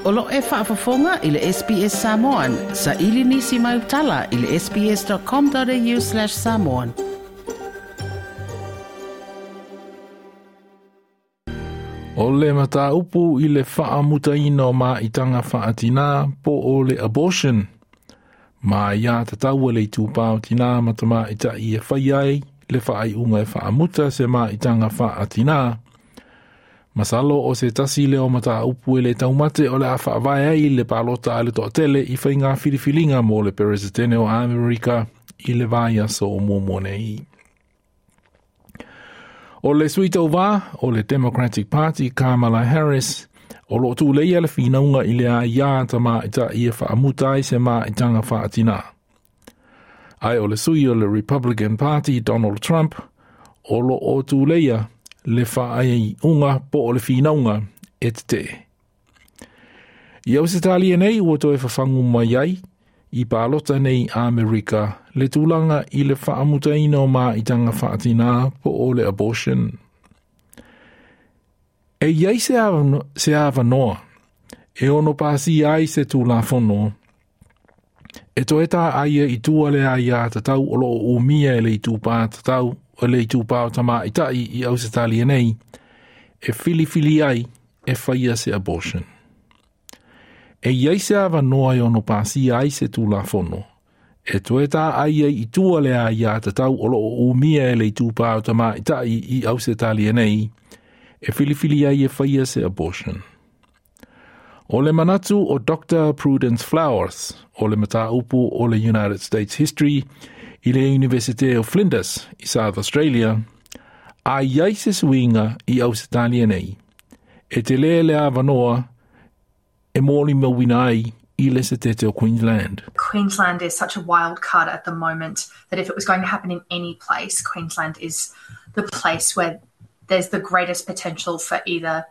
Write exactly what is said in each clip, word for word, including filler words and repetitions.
O lo e faafofoga i le S B S Samoan, sa ili nisi mai utala i le sbs.com.au slash samoan. O le mataupu i le faamutaina o maitaga faatinā po o le abortion. Ma ia tataua le itupā o tinā ma tamaita'i e fai ai le faaiuga e faamuta se maitaga faatinā. Masalo o se tasi lea o mataupu e le taumate o le a faavae ai le palota a le toatele i faiga filifiliga mo le peresetene o Amerika i le vaiaso o muamua nei. O le sui tauvā o le Democratic Party Kamala Harris o loo tuleia le finauga i le aiā tamaita'i e faamuta ai se maitaga faatinā. Ai o le sui o le Republican Party Donald Trump o loo tuleia le faaiuga po o le finauga e tetee. I Ausetalia nei ua toe fafagu mai ai i palota nei Amerika le tulaga i le faamutaina o maitaga faatinā po o le abortion. E iai se avano, se avanoa e ono pasia ai se tulafono e toe tā aia i tua le aiā tatau o loo umia e le itupā tatau o le itupā o tamaita'i i Ausetalia nei e filifili ai e whaia se abortion. E iai se avanoa e ono pasia ai se tulafono e toe tā aia i tua le aiā tatau o loo umia e le itupā o tamaita'i i Ausetalia nei e filifili ai e whaia se abortion. O le manatu o Doctor Prudence Flowers, o le mataupu o le United States History i le University of Flinders i South Australia, a iai se suiga i Ausetalia nei, e te lea le avanoa e mōli mauina ai i le setete o Queensland. Queensland is such a wild card at the moment that if it was going to happen in any place, Queensland is the place where there's the greatest potential for either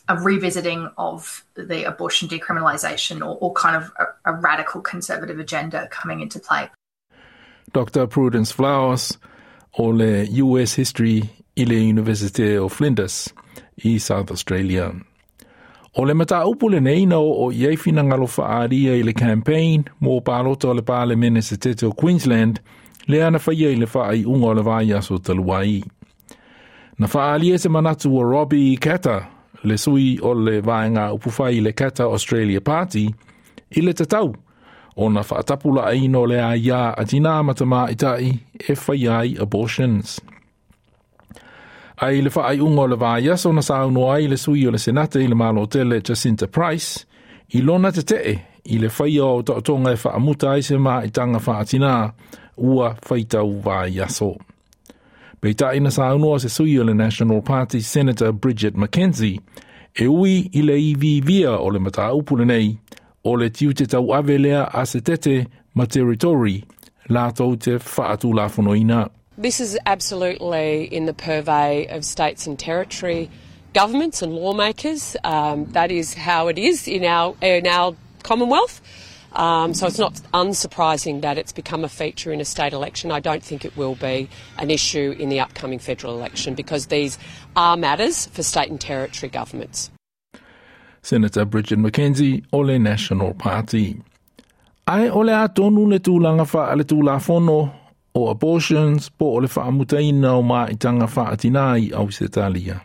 a revisiting of the abortion decriminalisation or, or kind of a, a radical conservative agenda coming into play. Doctor Prudence Flowers o le U S History i le University of Flinders i South Australia. O le mataupu lenei na o i ai finagalo faaalia i le campaign mo palota o le Palemene setete o Queensland le ana faia i le faaiuga o le vaiaso talu ai. Na faaalia se manatu o Robbie Katter, le sui o le vaega upufai i le Katter Australia Party, i le tatau o na faatapula aina o le aiā a tinā ma tamaita'i e fai ai abortions. Ai le faaiuga o le vaiaso na saunoa ai le sui o le Senate i le Malotele Jacinta Price, i lona tetee i le faia o taotoga e faamuta ai se maitaga faatinā ua faitau vaiaso. Peitai na saunoa se sui o le National Party Senator Bridget McKenzie, e ui i le ivivia o le mataupu lenei, o le tiute tau ave lea a se tete ma territory lātou te faatulafonoina. This is absolutely in the purvey of states and territory governments and lawmakers. Um, that is how it is in our, in our Commonwealth. Um, so it's not unsurprising that it's become a feature in a state election. I don't think it will be an issue in the upcoming federal election because these are matters for state and territory governments. Senator Bridget McKenzie o le National Party. Ai o le atonu le tulaga wha le tulafono o abortions po o le faamutaina o maitaga faatinā i Ausetalia.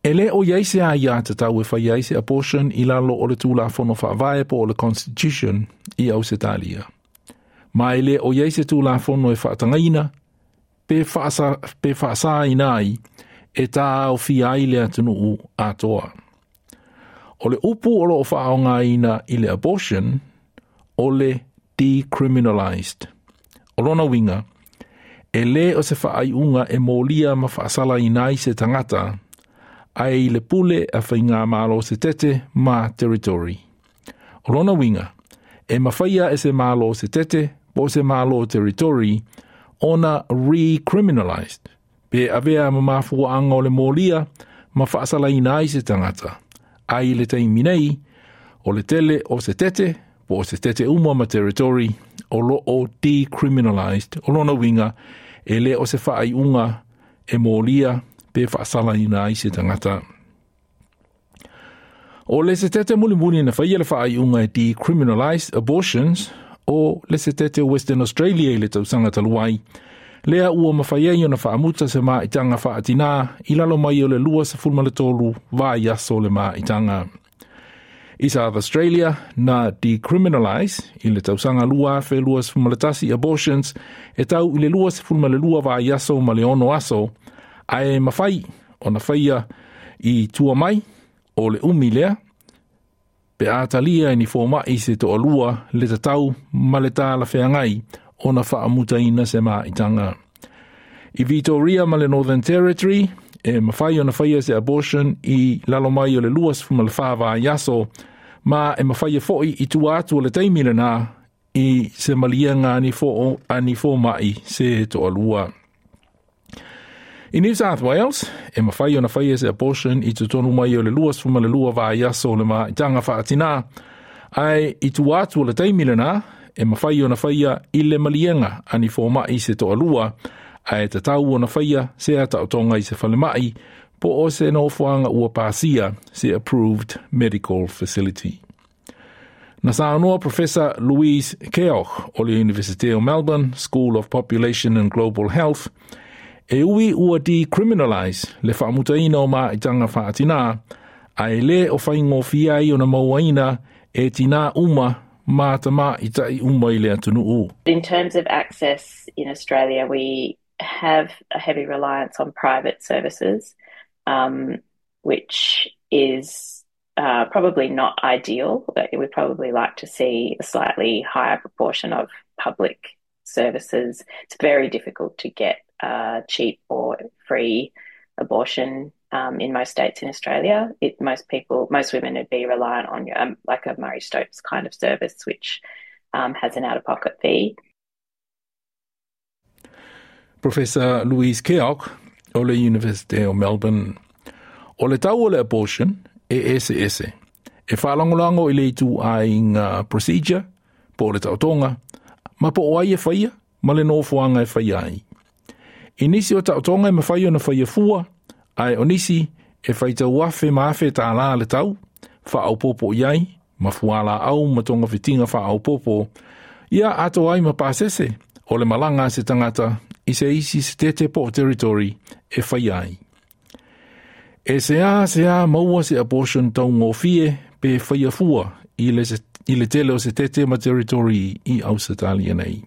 E le o iai se aiā tatau e whai ai se abortion i lalo o le tulafono faavae po o le Constitution i Ausetalia. Ma e le o iai se tulafono e whaatangaina pe whaasa, pe whaasaina ai e tā au fia ai le atunuu atoa. O le upu o loo whaaongaina i le abortion o le decriminalised. O lona winga, e le o se whaaiunga e mōlia ma whaasala inai se tangata, ai le pule a whainga malo se tete ma territory. O lona winga, e mawhaia e se malo se tete po se malo territory ona recriminalized. Pe avea ma mafua anga o le mōlia ma whaasala inai se tangata. Ai le taimi nei, o le tele o se tete, po o se tete uma ma territory, o lo o decriminalized. O lona winga, e le o se whaaiunga e mōlia pe whaasala ina ai se tangata. O le setete mulimuli na faia le faaiuga e decriminalise abortions o le setete o Western Australia i le tausaga talu ai. Lea ua mafai ai ona faamuta se maitaga faatinā i lalo mai o le lua sefulu ma le tolu vaiaso le maitaga. I South Australia na decriminalise i le tausaga lua afe lua sefulu ma le tasi abortions e tau i le lua sefulu ma le lua vaiaso ma le ono aso, ae mafai ona faia i tua mai o le umi lea, pe a talia e ni fomai se toalua le tatau ma le talafeagai ona faamutaina se maitaga. I Victoria ma le Northern Territory, e mafai ona faia se abortion i lalo mai o le lua sefulu ma le fa vaiaso, ma e mafai fo'i i tua atu o le taimi lena i se maliega ani fo ani fomai se toalua. I New South Wales, e mafai ona faia se abortion i totonu mai o le lua sefulu ma le lua vaiaso o le maitaga faatinā, ae i tua atu o le taimi lena, e mafai ona faia i le maliega ani fomai se toalua, ae tatau ona faia se ataotoga i se falemai, po o se nofoaga ua pasia se approved medical facility. Na saunoa Professor Louise Keogh o le University of Melbourne School of Population and Global Health, e ui ua decriminalise le faamutaina o maitaga faatinā, ae le o faigofie ai ona mauaina e tinā uma ma tamaitai uma i le atunuu. In terms of access in Australia, we have a heavy reliance on private services, um, which is uh, probably not ideal. We'd probably like to see a slightly higher proportion of public services. It's very difficult to get uh, cheap or free abortion um, in most states in Australia. It, most people, most women would be reliant on um, like a Marie Stopes kind of service, which um, has an out-of-pocket fee. Professor Louise Keogh o le University of Melbourne. O le tau o le abortion e ese ese. E whaalangolago i le ituaiga procedure, po o le taotoga, ma po o ai e faia, ma le nofoaga e faia ai. I nisi o taotoga e mafai ona faia fua, ae o nisi e faitau afe ma afe tālā le tau, faaopoopo i ai, ma fualaau ma togafitiga faaopoopo, ia atoa ai ma pasese o le malaga a se tagata i se isi setete po o territory e faia ai. E se a se a maua se abortion taugofie pe faia fua i le, i le tele o setete ma territory i Ausetalia nei.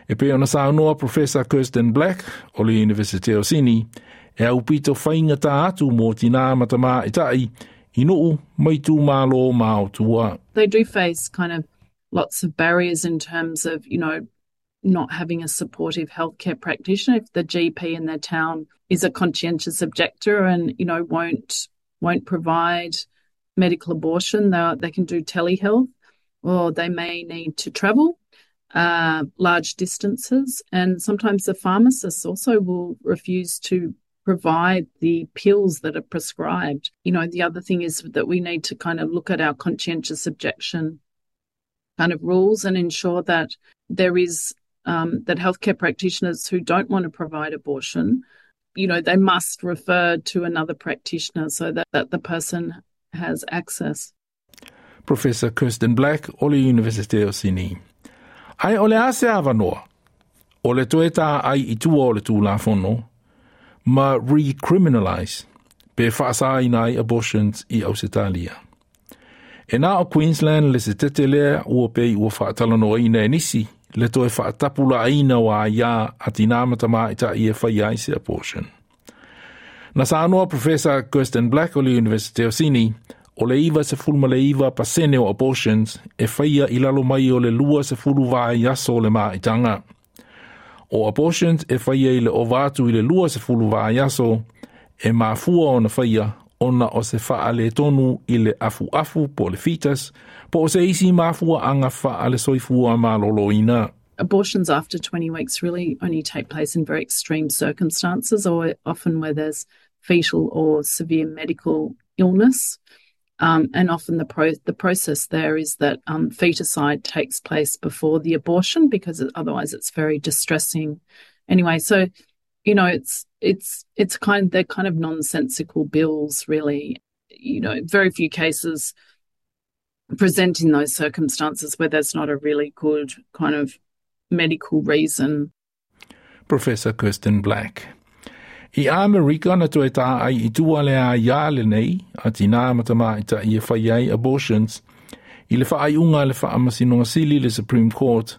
E pei ona saunoa Professor Kirsten Black o le University o Sydney, e aupito faigata atu mo tinā ma tamaitai i nuu ma itumalo ma o tua. They do face kind of lots of barriers in terms of, you know, not having a supportive healthcare practitioner. If the G P in their town is a conscientious objector and, you know, won't won't provide medical abortion, they, they can do telehealth, or they may need to travel uh, large distances. And sometimes the pharmacists also will refuse to provide the pills that are prescribed. You know, the other thing is that we need to kind of look at our conscientious objection kind of rules and ensure that there is um, that healthcare practitioners who don't want to provide abortion, you know, they must refer to another practitioner so that, that the person has access. Professor Kirsten Black o le University o Sydney. Ae o le a se avanoa, o le toe tā ai i tua o le tulafono, ma recriminalise pe faasaina ai abortions i Ausetalia. E na o Queensland le setete lea ua pei ua faatalanoaina e nisi le toe faatapulaaina o aiā a tinā ma tamaitai e faia ai se abortion. Na saunoa Professor Kirsten Black o le University of Sydney, o le iva sefulu ma le iva pasene o abortions e faia i lalo mai o le lua sefulu vaiaso o le maitaga. O abortions e faia i le ova atu i le lua sefulu vaiaso e mafua ona faia ona o se faaletonu i le afuafu po le fetus, po o se isi mafuaaga faale-soifua maloloina. Abortions after twenty weeks really only take place in very extreme circumstances or often where there's fetal or severe medical illness. Um, and often the pro- the process there is that um, feticide takes place before the abortion because otherwise it's very distressing. Anyway, so you know it's it's it's kind they're kind of nonsensical bills, really. you know, very few cases present in those circumstances where there's not a really good kind of medical reason. Professor Kirsten Black. I Amerika na toe tā ai i tua le a ia le nei, a tina ma tamaita'i e fai ai abortions, i le faaiuga a le Faamasinoga Sili le Supreme Court,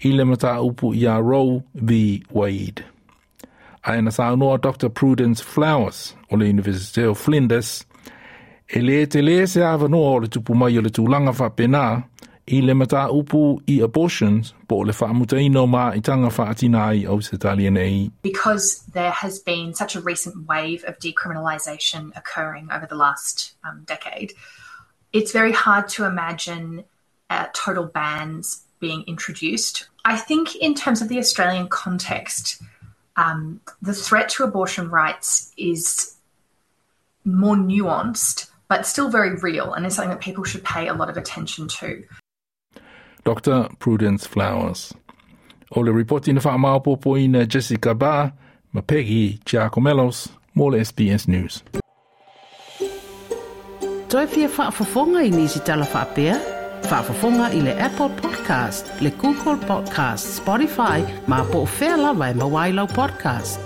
i le mataupu ia Roe v. Wade. Ae na saunoa Doctor Prudence Flowers o le University o Flinders, e le tele se avanoa o le tupu mai o le tulaga faapena i le mataupu i abortions po o le faamutaina o maitaga faatina i Ausetalia nei. Because there has been such a recent wave of decriminalisation occurring over the last um, decade, it's very hard to imagine uh, total bans being introduced. I think in terms of the Australian context, um, the threat to abortion rights is more nuanced, but still very real, and is something that people should pay a lot of attention to. Doctor Prudence Flowers. O le ripoti na whaamaopopoina Jessica Barr, ma Peggy Giakoumelos, mo le S B S News. Toe fia faafofoga i nisi tala faapea? Faafofoga i le Apple Podcast, le Google Podcast, Spotify, ma po o fea lava e maua ai lau podcast.